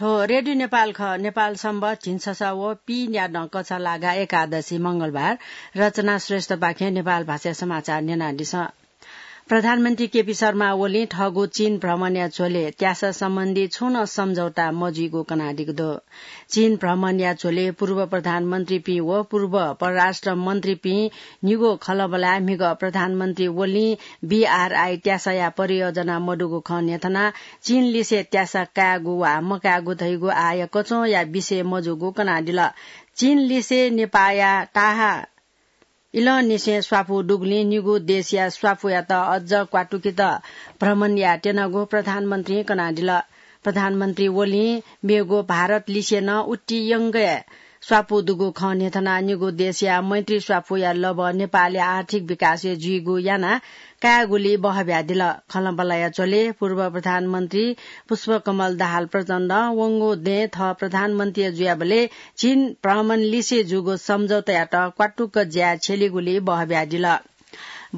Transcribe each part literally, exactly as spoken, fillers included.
थ्व रेडियो नेपाल खः। नेपाल सम्बत झिंछसः व पीन्यादँ कछलागा एकादशी मंगलबार। रचना श्रेष्ठपाखें नेपाल भाषा समाचार न्यनादिसँ। प्रधानमन्त्री केपी शर्मा ओलीं थःगु चीन भ्रमणया झ्वलय् त्यासा सम्बन्धी छुं नं सम्झौता मजुइगु कनादीगु दु। चीन भ्रमणया झ्वलय् पूर्व प्रधानमन्त्रीपिं व पूर्व परराष्ट्र मन्त्रीपिं निगू खँल्हाबल्हाय् म्हिगः प्रधानमन्त्री ओलीं बीआरआई त्यासाया परियोजना मदुगु खँ न्ह्यथनाः चीनलिसे त्यासा कायेगु वा मकायेगु धइगु आःया कचंया विषय मजूगु कनादिल। चीनलिसे नेपाःया ताहा इलंनिसें स्वापू दुगुलिं निगू देशया स्वापूयात अझ क्वातुकेत भ्रमण यायेत्यनागु प्रधानमन्त्रीं कनादिल। प्रधानमन्त्री ओलीं मेगु भारतलिसे नं उतियंगय् स्वापू दुगु खँ न्ह्यथनाः निगू देशया मैत्री स्वापूया लबः नेपालया आर्थिक विकासय् जुइगु यानाः कायेगुली बहब्यादिल। खँल्हाबल्हाया झ्वलय् पूर्व प्रधानमन्त्री पुष्पकमल दाहाल प्रचण्डं वंगु दँय् थः प्रधानमन्त्री जुयाबलय् चीन भ्रमणलिसे जूगु सम्झौतायात क्वातुक ज्याय् छ्यलीगुली बहब्यादिल।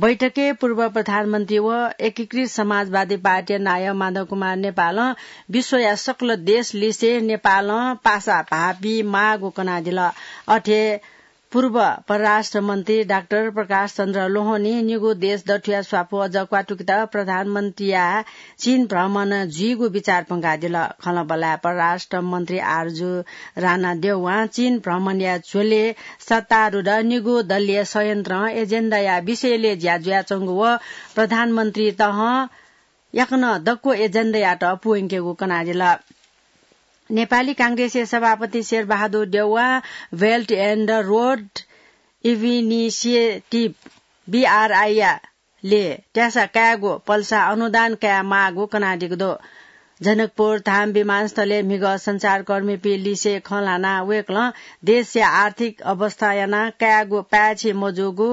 बैठकय् पूर्व प्रधानमन्त्री व एकीकृत समाजवादी पार्टीया नायः माधव कुमार नेपालं विश्वया सकल देशलिसे नेपालं पासा भाःपी माःगु कनादिल। अथे पूर्व परराष्ट्र मन्त्री डाक्टर प्रकाश चन्द्र लोहनीं निगू देश दथुया स्वापू अझ क्वातुकेत प्रधानमन्त्रीया चीन भ्रमण जुइगु बिचाः प्वंकादिल। खँल्हाबल्हाय् परराष्ट्र मन्त्री आरजु राणा देउवां चीन भ्रमणया झ्वलय् सत्तारूढ निगू दलीय संयन्त्रं एजेन्डाया विषयलय् ज्या जुयाच्वंगु व प्रधानमन्त्री तहं याकनं दक्व एजेन्डायात पूवंकेगु कनादिल। नेपाली कांग्रेसया सभापति शेरबहादुर देउवां Belt and Road Initiative, बीआरआईया ले त्यासा कायेगु पलसा अनुदान काये माःगु कनादीगु दु। जनकपुर धाम विमानस्थलय् म्हिगः सञ्चारकर्मीपिं लिसे खँ ल्हानाः वय्कलं देशया आर्थिक अवस्था यानाः कायेगु पाय्छि मजूगु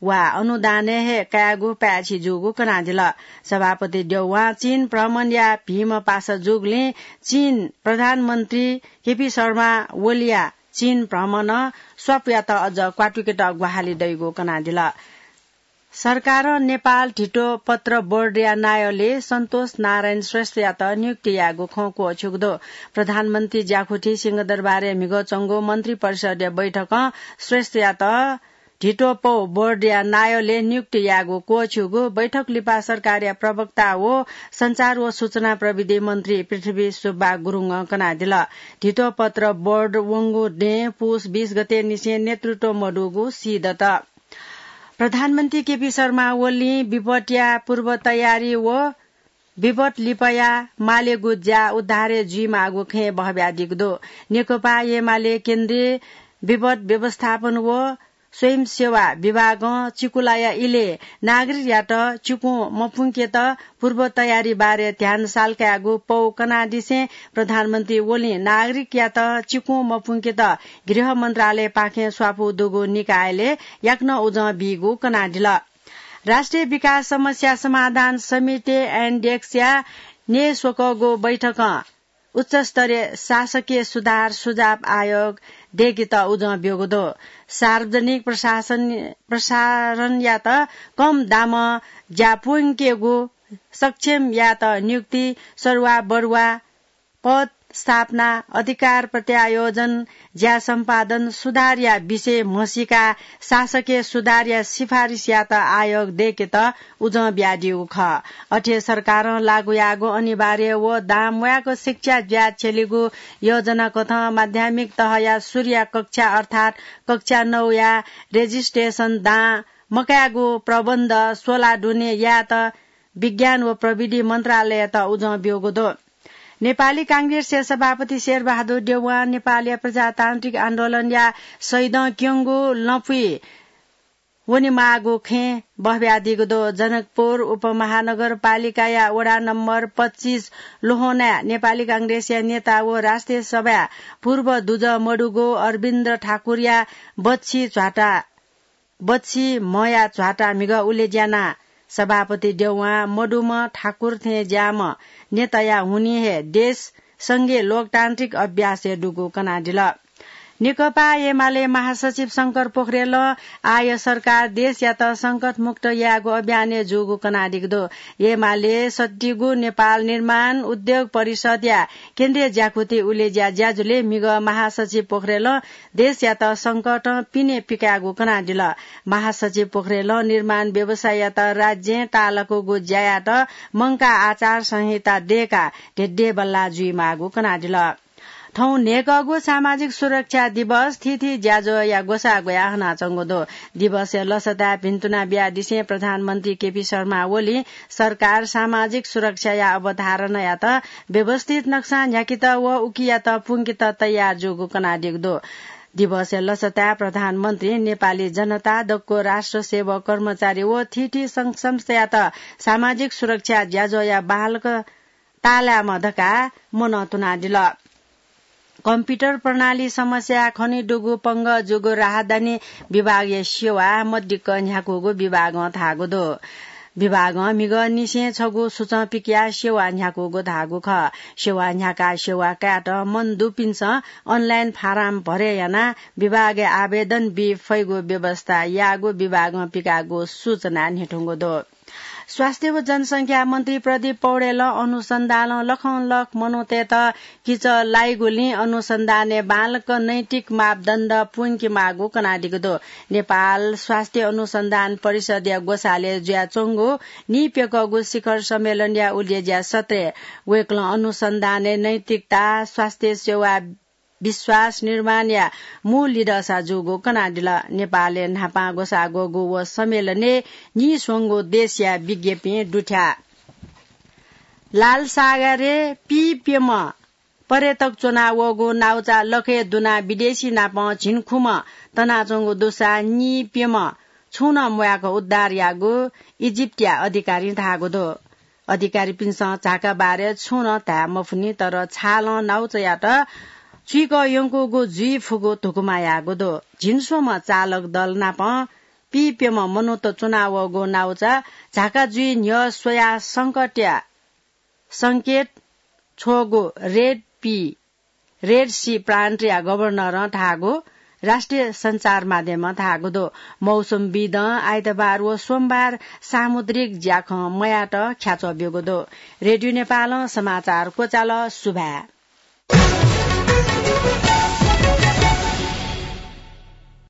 वा अनुदानय् हे कायेगु पाय्छि जूगु कनादिल। सभापति देउवां चीन भ्रमणया भिंम्ह पासा जूगुलिं चीन प्रधानमन्त्री केपी शर्मा ओलीया चीन भ्रमणं स्वापूयात अझ क्वातुकेत ग्वाहालि दइगु कनादिल। सरकारं नेपाल धितोपत्र बोर्डया नायःले सन्तोष नारायण श्रेष्ठयात नियुक्ति यायेगु खँ क्वःछिउगु दु। प्रधानमन्त्री ज्याखुथी सिंहदरबारय् म्हिगः च्वंगु मन्त्री परिषदया बैठकं श्रेष्ठयात धितोपौ बोर्डया नायःले नियुक्ति यायेगु क्वःछिउगु बैठक लिपा सरकारया प्रवक्ता व सञ्चार व सूचना प्रविधि मन्त्री पृथ्वी सुब्बा गुरुङं कनादिल। धितोपत्र बोर्ड वंगु दँय् पुस बीस गते निसें नेतृत्व मदुगु सीदत। प्रधानमन्त्री केपी शर्मा ओलीं विपदया पूर्व तयारी व विपद लिपाया मालेगु ज्या उद्धारय् जुइमाःगु खँय् बहब्यादीगु दु। नेकपा एमाले केन्द्रीय विपद व्यवस्थापन व स्वयंसेवा विभागं चिकुलाया इलय् नागरिकयात चिकुं मपुंकेत पूर्व तयारी बारे ध्यान सालकायेगु पौ कनादिसें प्रधानमन्त्री ओलीं नागरिकयात चिकुं मपुंकेत गृह मन्त्रालयपाखें स्वापू दुगु निकायलय् याकनं उजं बीगु कनादिल। राष्ट्रिय विकास समस्या समाधान समिति, एन्डेक्सया न्यय् स्वकःगु बैठकं उच्चस्तरीय शासकीय सुधार सुझाव आयोग दय्केत उजं ब्यूगु दु। सार्वजनिक प्रशासन, प्रसारणयात कम दामं ज्या प्वंकेगु, सक्षम यायेत नियुक्ति, सरुवा बरुवा, पद स्थापना, अधिकार प्रत्यायोजन, ज्या सम्पादन सुधारया विषय म्हसीकाः शासकीय सुधारया सिफारिस यायेत आयोग दय्केत उजं बियादीगु खः। अथे सरकारं लागू याःगु अनिवार्य व दां म्वाःगु शिक्षा ज्या छ्यलीगु योजना कथं माध्यमिक तहया सुरुया कक्षा अर्थात् कक्षा नौया registration दां मकायेगु प्रबन्ध स्वला दुने यायेत विज्ञान व प्रविधि मन्त्रालययात उजं ब्यूगु दु। नेपाली कांग्रेसया सभापति शेरबहादुर देउवां नेपालया प्रजातान्त्रिक आन्दोलनया शहीदं क्यंगु लँपुइ वनेमाःगु खँय् बहब्यादीगु दु। जनकपुर उपमहानगरपालिकाया वडा नम्बर पच्चिस लोहनाय् नेपाली कांग्रेसया नेता व राष्ट्रिय सभाया पूर्व दुजः मदुगु अरविन्द ठाकुरया बच्छि झ्वाता बच्छि म्हया झ्वाता म्हिगः उलेज्यानाः सभापति देउवां मदुम्ह ठाकुर थें ज्याःम्ह नेताया हुनिं हे देश संघीय लोकतान्त्रिक अभ्यासय् दुगु कनादिल। नेकपा एमाले महासचिव शंकर पोखरेलं आः सरकार देशयात संकटमुक्त यायेगु अभियानय् जूगु कनादीगु दु। एमाले सत्तीगु नेपाल निर्माण उद्योग परिषदया केन्द्रीय ज्याकुथि उलेज्या ज्याझ्वलय् म्हिगः महासचिव पोखरेलं देशयात संकटं पिने पिकायेगु कनादिल। महासचिव पोखरेलं निर्माण व्यवसायीयात राज्यं ताःलाकूगु ज्यायात मंकाः आचार संहिता दयेकाः धेद्येबल्लाः जुइमाःगु कनादिल। थौं न्हय्कःगु सामाजिक सुरक्षा दिवस थीथी ज्याझ्वःया ग्वसाः ग्वयाः हनाच्वंगु दु। दिवसया लसताय् भिन्तुना बियादिसें प्रधानमन्त्री केपी शर्मा ओलीं सरकार सामाजिक सुरक्षाया अवधारणायात व्यवस्थित नक्सां न्ह्याकेत व उकियात पुंकेत तयार जूगु कनादीगु दु। दिवसया लसताय् प्रधानमन्त्रीं नेपाली जनता, दक्व राष्ट्र सेवक, कर्मचारी व थीथी संघ संस्थायात सामाजिक सुरक्षा ज्याझ्वःया बांलाक ताःलायेमा धकाः मनंतुनादिल। कम्प्युटर प्रणाली समस्याय् खनेदुगु पंगः जूगु राहदानी विभागया सेवा मदिक्क न्ह्याकूगु विभागं धाःगु दु। विभागं म्हिगःनिसें छगू सूचं पिकयाः सेवा न्ह्याकूगु धाःगु खः। सेवा न्ह्याकाः सेवा कायेत मन दुपिन्सं अनलाइन फारम भरे यानाः विभागय् आवेदन बी फइगु व्यवस्था याःगु विभागं पिकाःगु सूचनाय् न्ह्यथंगु दु। स्वास्थ्य व जनसंख्या मन्त्री प्रदीप पौडेलं अनुसन्धानं लखंलख मनूतय्त किचः लाइगुलिं अनुसन्धानय् बांलाक नैतिक मापदण्ड पुंकेमाःगु कनादीगु दु। नेपाल स्वास्थ्य अनुसन्धान परिषदया ग्वसालय् जुयाच्वंगु नीप्यकःगु शिखर सम्मेलनया उलेज्या सत्रय् वय्कलं अनुसन्धानय् नैतिकता, स्वास्थ्य सेवा विश्वास निर्माणया मू लिधःसा जूगु कनादिल। नेपालय् न्हापां ग्वसाः ग्वःगु व सम्मेलनय् नीस्वंगू देशया विज्ञपिं दुथ्याः। लालसागरय् पीप्यम्ह पर्यटक च्वनावःगु नाउचा लखय् दुनाः विदेशी नाप झिंखुम्ह तनाच्वंगु दुसा नीप्यम्ह छुं नं म्वाय्क उद्धार याःगु इजिप्टया अधिकारीं धाःगु दु। अधिकारीपिन्सं झाकाबारय् छुं नं धाये मफुनि, तर छालं नाउचायात चुइकः यंकूगु जुइ फुगु धुकुमा याःगु दु। झिंस्वम्ह चालक दल नाप पीप्यम्ह मनूत च्वनावःगु नाउचा झाका जुइ न्ह्यः स्वयाः संकटया संकेत छ्वःगु रेड पी, रेड सी प्रान्तया गभर्नरं धाःगु राष्ट्रिय सञ्चार माध्यमं धाःगु दु। मौसमविदं आइतबार व सोमबार सामुद्रिक ज्याखँ मयायेत ख्याच्वः ब्यूगु दु। रेडियो नेपालं समाचार क्वचाल। सुभाय्।